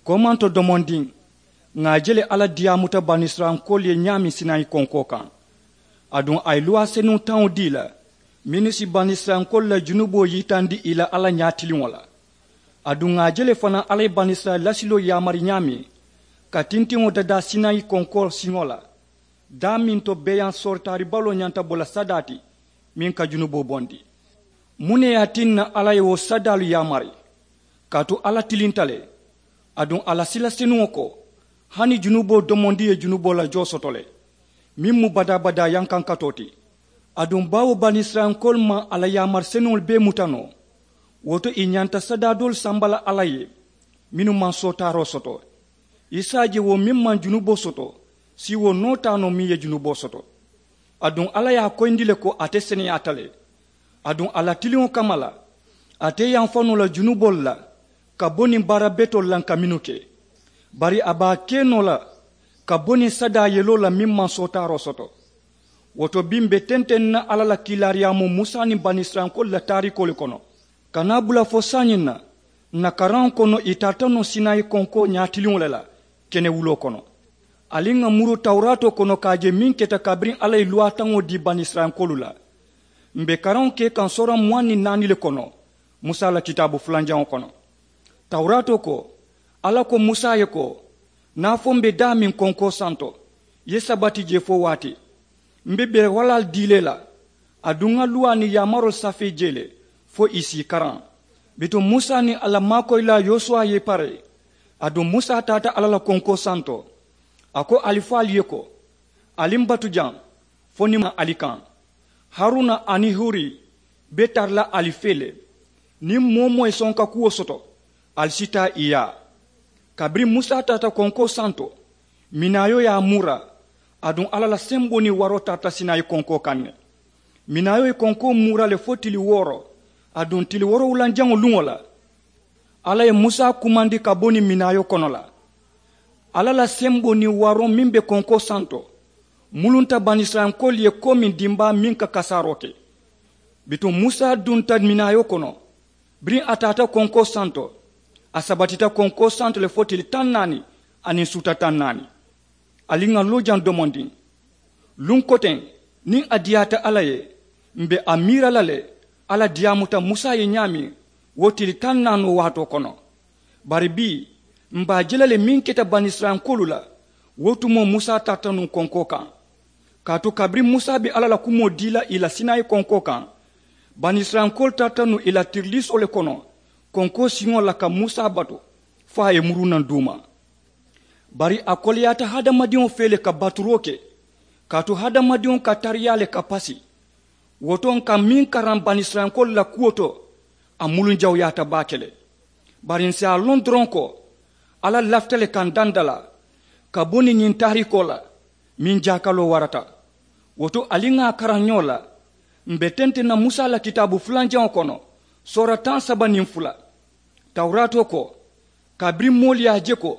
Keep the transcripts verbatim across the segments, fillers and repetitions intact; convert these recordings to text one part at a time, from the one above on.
Komanto domondiŋ, ŋà a je le alla diyaamuta banisirayilankoolu ye ñaameŋ sinayi konkoo kaŋ. Aduŋ a ye luwaa senuŋ taŋo dii la mennu si banisirayilankoolu la junuboo yitandi ì la alla ñaatiliŋo la. Aduŋ ŋà a je le fanaa alla ye banisirayila lasiloo yaamari ñaameŋ ka tintiŋo dadaa sinayi konkoo siŋo la, daameŋ to beeyaŋ soritaari baloo ñanta bo la sadaa ti meŋ ka junuboo bondi. Muŋ ne ye a tinna alla ye wo sadaalu yaamari? Kaatu alla tilinta le. Aduŋ a la sila senuŋo ko, hani junuboo domondi ye junuboo la joo soto le, meŋ mu badaa-badaa yankankatoo ti. Aduŋ baawo banisirayilankoolu maŋ a la yaamari senuŋolu bee muta noo, wo to ì ñanta sadaa doolu samba la alla ye mennu maŋ sootaaroo soto. I si a je wo meŋ maŋ junuboo soto si wo noo taa noo meŋ ye junuboo soto. Aduŋ alla ye a koyindi le ko ate seneyaata le. Aduŋ a la tiliŋo kamma la, ate yamfa noo la junuboolu la ka bo niŋ baara betoolu la nka mennu ke. Bari a be a ke noo la ka bo niŋ sadaa yeloo la meŋ maŋ sootaaroo soto. Wo to bii m̀ be tenteŋ na alla la kiilaariyaamoo musa niŋ banisirayilankoolu la taariikoo le kono. Ka naa bula fo saayiŋ na, ǹ na karaŋo kono ì tarata noo sinayi konkoo ñaatiliŋo le la kenewuloo kono. Ali ŋà muru tawuraatoo kono ka a je meŋ keta kabiriŋ alla ye luwaataŋo dii banisirayilankoolu la. M̀ be karaŋo ke kaŋ soora muwaŋ niŋ naani le kono musa la kitaabu fulanjaŋo kono. Tawuraatoo ko, alla ko musa ye ko, niŋ a fo m̀ be daameŋ konkoo santo, i ye sabati jee fo waati, m̀ be bere walaalu dii la i la. Aduŋ ŋà luwaa niŋ yaamaroolu safee jee le fo ì si i karaŋ. Bituŋ musa niŋ a la maakoyilaa yosuwa ye i pare. Aduŋ musa taata alla la konkoo santo. A ko ali fo ali ye ko, ali m̀ batu jaŋ fo niŋ m̀ maŋ ali kaŋ. Haruna aniŋ huri be tara la ali fee le. Niŋ moo-wo-moo ye sonka kuwo soto, ali si taa ì yaa. Kabiriŋ musa taata konkoo santo, minaayoo ye a muura. Aduŋ alla la semboo niŋ waroo tarata sinayi konkoo kaŋ ne. Minaayoo ye konkoo muura le fo tili wooro. Aduŋ tili woorowulanjaŋo luŋo la, alla ye musa kumandi ka bo niŋ minaayoo kono la. Alla la semboo niŋ waroo meŋ be konkoo santo mulunta banisirayilankoolu ye komiŋ dimbaa meŋ ka kasaaroo ke. Bituŋ musa dunta minaayoo kono. Biriŋ a taata konkoo santo, a sabatita konkoo santo le fo tili taŋ naani aniŋ suuta taŋ naani. Ali ŋà loo jaŋ domondiŋ. Luŋ koteŋ, niŋ a diyaata alla ye, m̀ be a miira la le alla diyaamuta musa ye ñaameŋ wo tili taŋ naanoo waatoo kono. Bari bii, m̀ be a je la le meŋ keta banisirayilankoolu la. Wo tumoo musa tarata nuŋ konkoo kaŋ. Kaatu kabiriŋ musa be alla la kumoo dii la ì la sinayi konkoo kaŋ, banisirayilankoolu tarata nuŋ ì la tiriliisoo le kono konkoo siŋo la ka musa batu fo a ye muruu naŋ duuma. Bari a koleyaata hadamadiŋo fee le ka baturoo ke. Kaatu hadamadiŋo ka tariyaa le ka pasi. Wo to ǹ ka meŋ karaŋ banisirayilankoolu la kuwo to, a muluŋ jawuyaata baake le. Bari ǹ si a loŋ doroŋ ko alla lafita le ka ǹ dandalaa ka bo niŋ ñiŋ taariikoo la meŋ jaakaloo warata. Wo to ali ŋà a karaŋ ñoo la, m̀ be tenteŋ na musa la kitaabu fulanjaŋo kono soora taŋ saba niŋ fula. Tawuraatoo ko, kabiriŋ moolu ye a je ko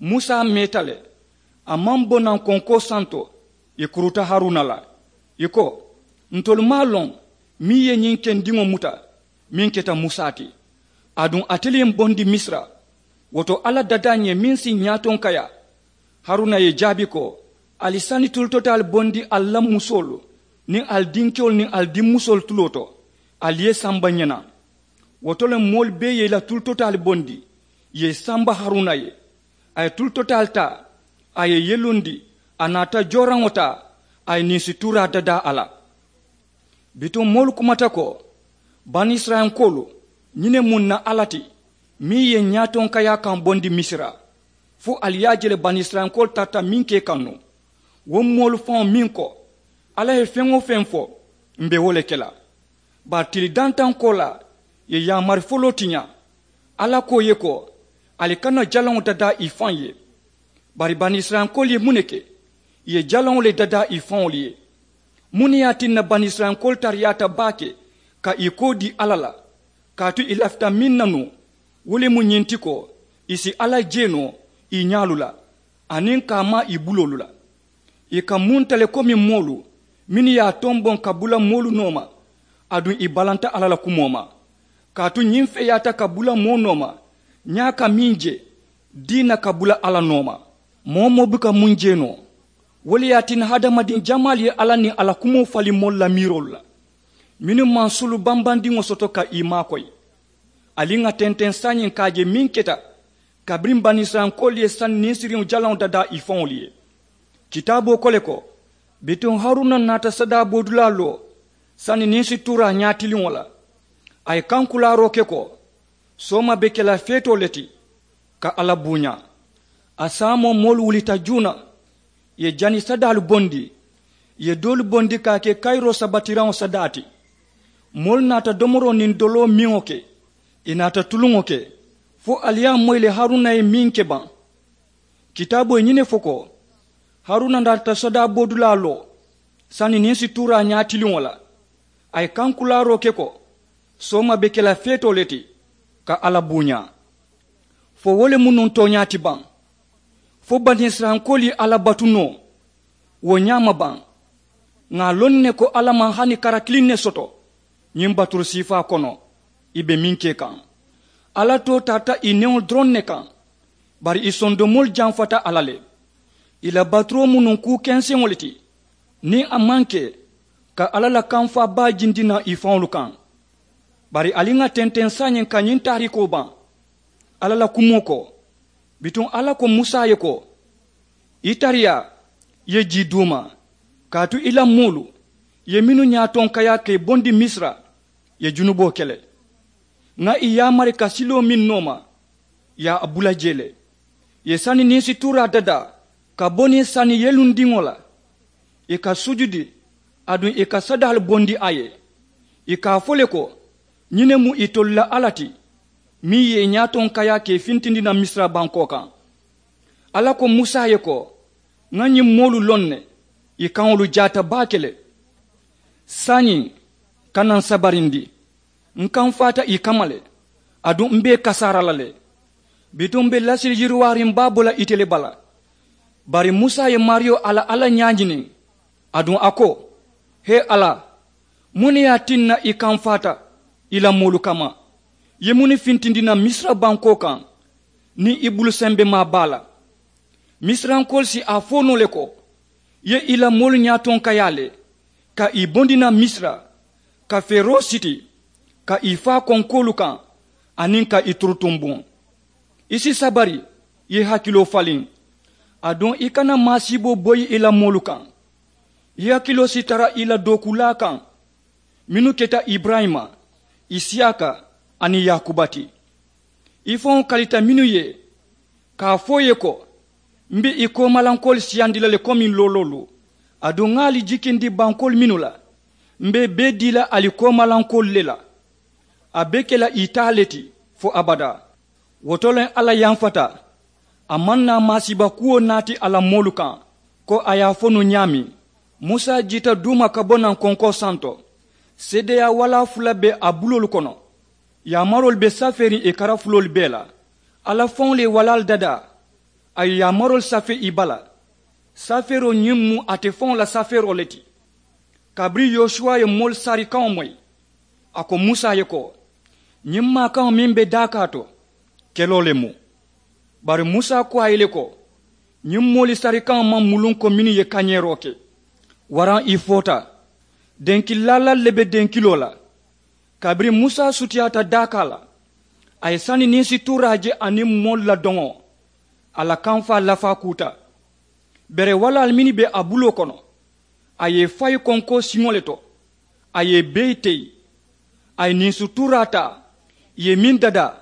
musa meeta le, a maŋ bo naŋ konkoo santo, ì kuruta haruna la. Ì ko, ntolu maŋ a loŋ meŋ ye ñiŋ kendiŋo muta meŋ keta musa ti. Aduŋ ate le ye m bondi misira. Wo to alla dadaa ǹ ye meŋ si ǹ ñaatonkayaa. Haruna ye ì jaabi ko, ali sani tulutotaalu bondi ali la musoolu niŋ ali dinkewolu niŋ ali dimmusoolu tuloo to, ali ye i samba ǹ ye naŋ. Wo to le moolu bee ye i la tulutotaalu bondi ì ye i samba haruna ye. A ye tulutotaalu taa, a ye i yelundi, a naata jooraŋo taa, a ye ninsituuraa dadaa a la. Bituŋ moolu kumata ko, banisirayilankoolu, ñiŋ ne mu ǹ na alla ti meŋ ye ǹ ñaatonkayaa kaŋ bondi misira. Fo ali ye a je le banisirayilankoolu tarata meŋ ke kaŋ nuŋ. Wo moolu faŋo meŋ ko, alla ye feŋ-wo-feŋ fo, m̀ be wo le ke la. Bari tili dantaŋ koolaa ì ye yaamari foloo tiñaa. Alla ko ì ye ko, ali kana jalaŋo dadaa ì faŋ ye. Bari banisirayilankoolu ye muŋ ne ke? Ì ye jalaŋo le dadaa ì faŋolu ye. Muŋ ne ye a tinna banisirayilankoolu tariyaata baake ka ì koo dii alla la? Kaatu ì lafita meŋ na nuŋ, wo le mu ñiŋ ti ko, ì si alla jee noo ì ñaalu la aniŋ ka a maa ì buloolu la. Ì ka munta le komi moolu mennu ye a tomboŋ ka bula moolu nooma. Aduŋ ì balanta alla la kumoo ma. Kaatu ñiŋ feeyaata ka bula moo nooma ñaa ka meŋ je, Diina ka bula alla nooma. Moo-wo-moo buka muŋ jee noo. Wo le ye a tinna hadamadiŋ jamaalu ye alla niŋ a la kumoo faliŋ moolu la miiroolu la, mennu maŋ sulu bambandiŋo soto ka ì maakoyi. Ali ŋà tenteŋ saayiŋ ka a je meŋ keta kabiriŋ banisirayilankoolu ye sani ninsiriŋo jalaŋo dadaa ì faŋolu ye. Kitaaboo ko le ko, bituŋ haruna naata sadaa boodulaa loo sani ninsituuraa ñaatiliŋo la. A ye kankulaaroo ke ko, sooma be ke la feetoo le ti ka alla buuñaa. A saamoo moolu wulita juuna, ì ye jani sadaalu bondi, ì ye doolu bondi ka a ke kayiroo sabatiraŋo sadaa ti. Moolu naata domoroo niŋ doloo miŋo ke, ì naata tuluŋo ke, fo ali ye a moyi le haruna ye meŋ ke baŋ. Kitaaboo ye ñiŋ ne fo ko, haruna naata sadaa boodulaa loo sani ninsituuraa ñaatiliŋo la. A ye kankulaaroo ke ko, sooma be ke la feetoo le ti ka alla buuñaa. Fo wo le mu nuŋ tooñaa ti baŋ? Fo banisirayilankoolu ye alla batu noo wo ñaama baŋ? Ŋà a loŋ ne ko alla maŋ hani kara kiliŋ ne soto ñiŋ baturu siifaa kono ì be meŋ ke kaŋ. Alla too tarata ì neŋo doroŋ ne kaŋ. Bari ì sondomoolu jamfata a la le. Ì la baturoo mu nuŋ kuu kenseŋo le ti, niŋ a maŋ ke ka alla la kamfaa baa jindi naŋ ì faŋolu kaŋ. Bari ali ŋà tenteŋ saayiŋ ka ñiŋ taariikoo baŋ. Alla la kumoo ko, bituŋ alla ko musa ye ko, i tariyaa, i ye jii duu ma, kaatu i la moolu, i ye mennu ñaatonkayaa ka ì bondi misira, i ye junuboo ke le. Ŋà ì yaamari ka siloo miŋ nooma, ì ye a bula jee le. Ì ye sani ninsituuraa dadaa ka bo niŋ sani yelundiŋo la. Ì ka sujudi, aduŋ ì ka sadaalu bondi a ye. Ì ka a fo le ko, ñiŋ ne mu itolu la alla ti, meŋ ye ì ñaatonkayaa ka ì fintindi naŋ misira bankoo kaŋ. Alla ko musa ye ko, ŋà ñiŋ moolu loŋ ne, ì kaŋolu jaata baake le. Saayiŋ, kana n sabarindi. N kamfaata ì kamma le, aduŋ m be ì kasaara la le. Bituŋ m be lasili yiriwaariŋ baa bo la ite le bala. Bari musa ye maariyo a la alla ñaañiniŋ, aduŋ a ko, hee alla, muŋ ne ye a tinna i kamfaata i la moolu kamma? I ye muŋ ne fintindi naŋ misira bankoo kaŋ niŋ i bulu sembemaa baa la? Misirayankoolu si a fo noo le ko, i ye i la moolu ñaatonkayaa le ka ì bondi naŋ misira, ka feeroo siti, ka ì faa konkoolu kaŋ, aniŋ ka ì turutumbuŋ. I si sabari, i ye i hakiloo faliŋ. Aduŋ i kana maasiiboo boyi i la moolu kaŋ. I hakiloo si tara i la dookuulaa kaŋ, mennu keta iburayima, isiyaaka, aniŋ yaakuba ti. I faŋo kalita mennu ye, ka a fo i ye ko, m be i koomalankoolu siyandi la le komiŋ looloolu. Aduŋ ŋà ali jikindi bankoolu mennu la, m be i bee dii la ali koomalankoolu le la. A be ke la ì taa le ti fo abadaa. Wo to le alla yanfata. A maŋ naa maasiiba kuwo naati a la moolu kaŋ, ko a ye a fo nuŋ ñaameŋ. Musa jiita duuma ka bo naŋ konkoo santo. Seedeyaa walaa fula be a buloolu kono. Yaamaroolu be safeeriŋ ì karafuloolu bee la. Alla faŋolu ye walaalu dadaa, a ye yaamaroolu safee ì bala. Safeeroo ñiŋ mu ate faŋo la safeeroo le ti. Kabiriŋ yosuwa ye moolu sarikaŋo moyi, a ko musa ye ko, ñiŋ maakaŋo meŋ be daakaa to, keloo le mu. Bari musa ko a ye le ko, ñiŋ moolu sarikaŋo maŋ muluŋ ko mennu ye kañeeroo ke. Waraŋ ì foota. Denki laalaalu le be denkiloo la. Kabiriŋ musa sutiyaata daakaa la, a ye sani ninsituuraa je aniŋ moolu la doŋo, a la kamfaa lafaa kuuta. Bere walaalu mennu be a buloo kono, a ye i fayi konkoo siŋo le to. A ye i bee teyi. A ye ninsituuraa taa, ì ye meŋ dadaa,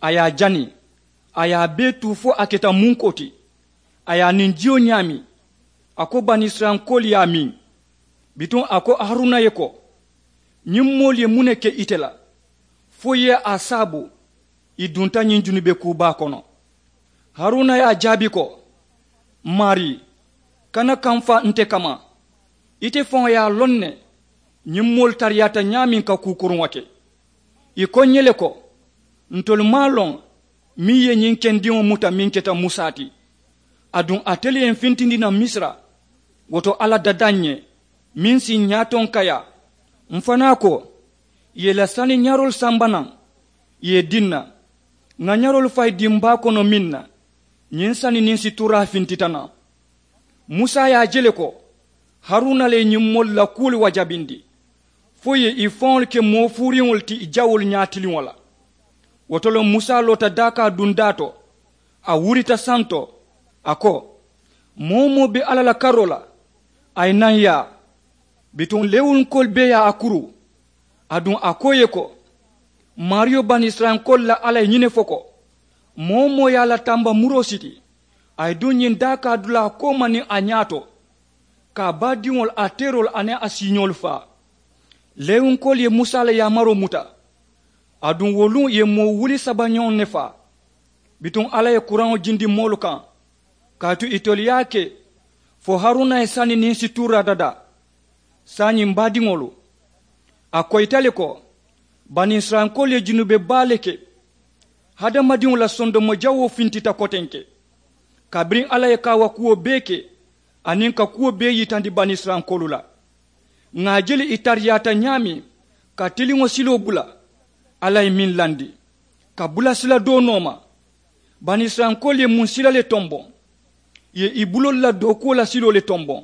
a ye a jani. A ye a bee tuu fo a keta munkoo ti. A ye a niŋ jiyo ñaami. A ko banisirayilankoolu ye a miŋ. Bituŋ a ko haruna ye ko, ñiŋ moolu ye muŋ ne ke ite la, fo i ye a saabu ì dunta ñiŋ junube kuu baa kono? Haruna ye a jaabi ko, maarii, kana kamfaa nte kamma. Ite faŋo ye a loŋ ne ñiŋ moolu tariyaata ñaameŋ ka kuu kuruŋo ke. Ì ko ǹ ye le ko, ntolu maŋ a loŋ meŋ ye ñiŋ kendiŋo muta meŋ keta musa ti. Aduŋ ate le ye m fintindi naŋ misira. Wo to alla dada ǹ ye meŋ si ǹ ñaatonkayaa. M fanaa ko, ì ye i la saniñaaroolu samba naŋ, ì ye i dii ǹ na. Ŋà ñaroolu fayi dimbaa kono meŋ na, ñiŋ sani niŋ situraa fintita naŋ. Musa ye a je le ko haruna le ye ñiŋ moolu la kuwolu wajabindi fo ì ye ì faŋolu ke moo fuuriŋolu ti ì jawoolu ñaatiliŋo la. Wo to le musa loota daakaa dundaa to, a wurita santo, a ko, moo-wo-moo be alla la karoo la, a ye naŋ yaa. Bituŋ lewunkoolu bee ye a kuru, aduŋ a ko ì ye ko, maariyo banisirayilankoolu la alla ye ñiŋ ne fo ko, moo-wo-moo ye a la tamba muroo siti, a ye duŋ ñiŋ daakaa dulaa kooma niŋ a ñaato, ka a baadiŋolu a teeroolu aniŋ a siiñoolu faa. Lewunkoolu ye musa la yaamaroo muta, aduŋ wo luŋ ì ye moo wuli saba ñoŋ ne faa. Bituŋ alla ye kuraŋo jindi moolu kaŋ, kaatu itolu ye a ke fo haruna ye sani niŋ situraa dadaa. Saayiŋ m̀ baadiŋolu, a koyita le ko banisirayilankoolu ye junube baa le ke. Hadamadiŋo la sondomo jawoo fintita kotenke, kabiriŋ alla ye kaawakuwo bee ke aniŋ ka kuwo bee yitandi banisirayilankoolu la. Ŋà a je le ì tariyaata ñaameŋ ka tiliŋo siloo bula, alla ye meŋ landi ka bula sila doo nooma. Banisirayilankoolu ye muŋ sila le tomboŋ, ì ye ì buloolu la dookuwo la siloo le tomboŋ,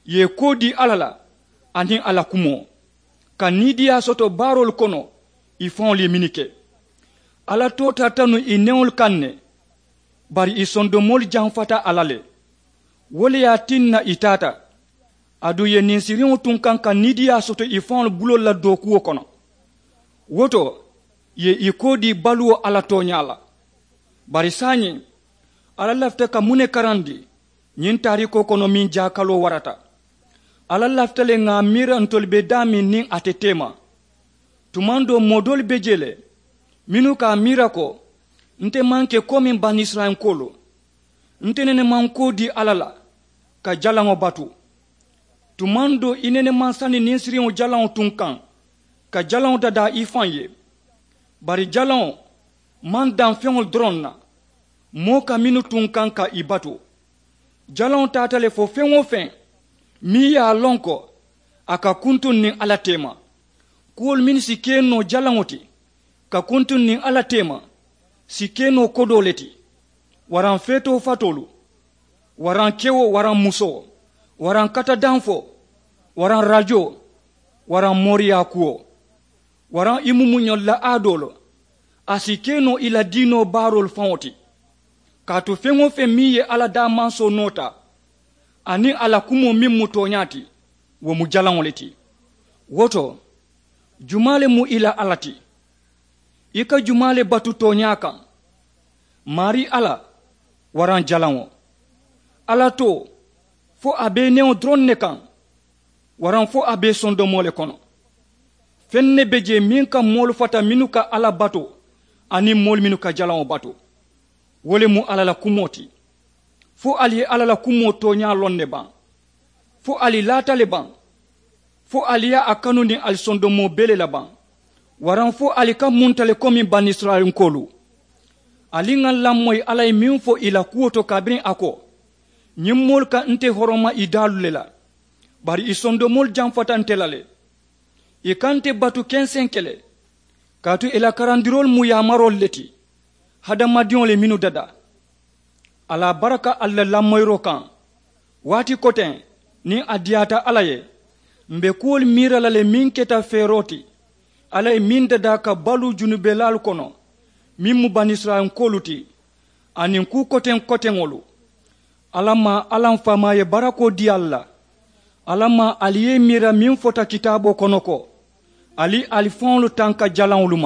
ì ye ì koo dii alla la aniŋ a la kumoo, ka niidiiyaa soto baaroolu kono ì faŋolu ye mennu ke. Alla too tarata nuŋ ì neŋolu kaŋ ne, bari ì sondomoolu jamfata a la le. Wo le ye a tinna ì taata, aduŋ ì ye ninsiriŋo tunkaŋ ka niidiiyaa soto ì faŋolu buloolu la dookuwo kono. Wo to ì ye ì koo dii baluwo alla tooñaa la. Bari saayiŋ, alla lafita ka muŋ ne karandi? Ñiŋ taariikoo kono meŋ jaakaloo warata, alla lafita le ŋà a miira ntolu be daameŋ niŋ a te teema. Tumaŋ doo moo doolu be jee le mennu ka a miira ko, nte maŋ ke komiŋ banisirayilankoolu. Nte nene maŋ koo dii alla la ka jalaŋo batu. Tumaŋ doo i nene maŋ sani ninsiriŋo jalaŋo tunkaŋ ka jalaŋo dadaa i faŋ ye. Bari jalaŋo maŋ daŋ feŋolu doroŋ na, moo ka mennu tunkaŋ ka ì batu. Jalaŋo taata le fo feŋ-wo-feŋ meŋ ye a loŋ ko a ka kuntuŋ niŋ alla teema. Kuwolu mennu si ke noo jalaŋo ti ka kuntuŋ niŋ alla teema, si ke noo kodoo le ti, waraŋ feetoo fatoolu, waraŋ kewo waraŋ musoo, waraŋ katadanfoo, waraŋ rajoo, waraŋ mooriyaa kuwo, waraŋ i mumuñolu la aadoolu. A si ke noo i la diinoo baaroolu faŋo ti. Kaatu feŋ-wo-feŋ meŋ ye alla daamansoo noota aniŋ a la kumoo meŋ mu tooñaa ti, wo mu jalaŋo le ti. Wo to, jumaa le mu i la alla ti? I ka jumaa le batu tooñaa kaŋ? Maarii alla, waraŋ jalaŋo? Alla too, fo a be i neŋo doroŋ ne kaŋ, waraŋ fo a be i sondomoo le kono? Feŋ ne be jee meŋ ka moolu fata mennu ka alla batu aniŋ moolu mennu ka jalaŋo batu. Wo le mu alla la kumoo ti. Fo ali ye alla la kumoo tooñaa loŋ ne baŋ? Fo ali laata le baŋ? Fo ali ye a kanu niŋ ali sondomoo bee le la baŋ? Waraŋ fo ali ka munta le komi banisirayilankoolu? Ali ŋà lamoyi alla ye meŋ fo ì la kuwo to kabiriŋ a ko, ñiŋ moolu ka nte horoma ì daalu le la, bari ì sondomoolu jamfata nte la le. Ì ka nte batu kenseŋ ke le, kaatu ì la karandiroolu mu yaamaroolu le ti, hadamadiŋo le mennu dadaa. Ali a baraka ali la lamoyiroo kaŋ. Waati koteŋ niŋ a diyaata alla ye, m̀ be kuwolu miira la le meŋ keta feeroo ti, alla ye meŋ dadaa ka baluu junubelaalu kono, meŋ mu banisirayilankoolu ti, aniŋ kuu koteŋ koteŋolu. Alla maa, alla m faamaa ye barakoo dii ali la. Alla maa, ali ye i miira meŋ fota kitaaboo kono ko, ali ali faŋolu tanka jalaŋolu ma.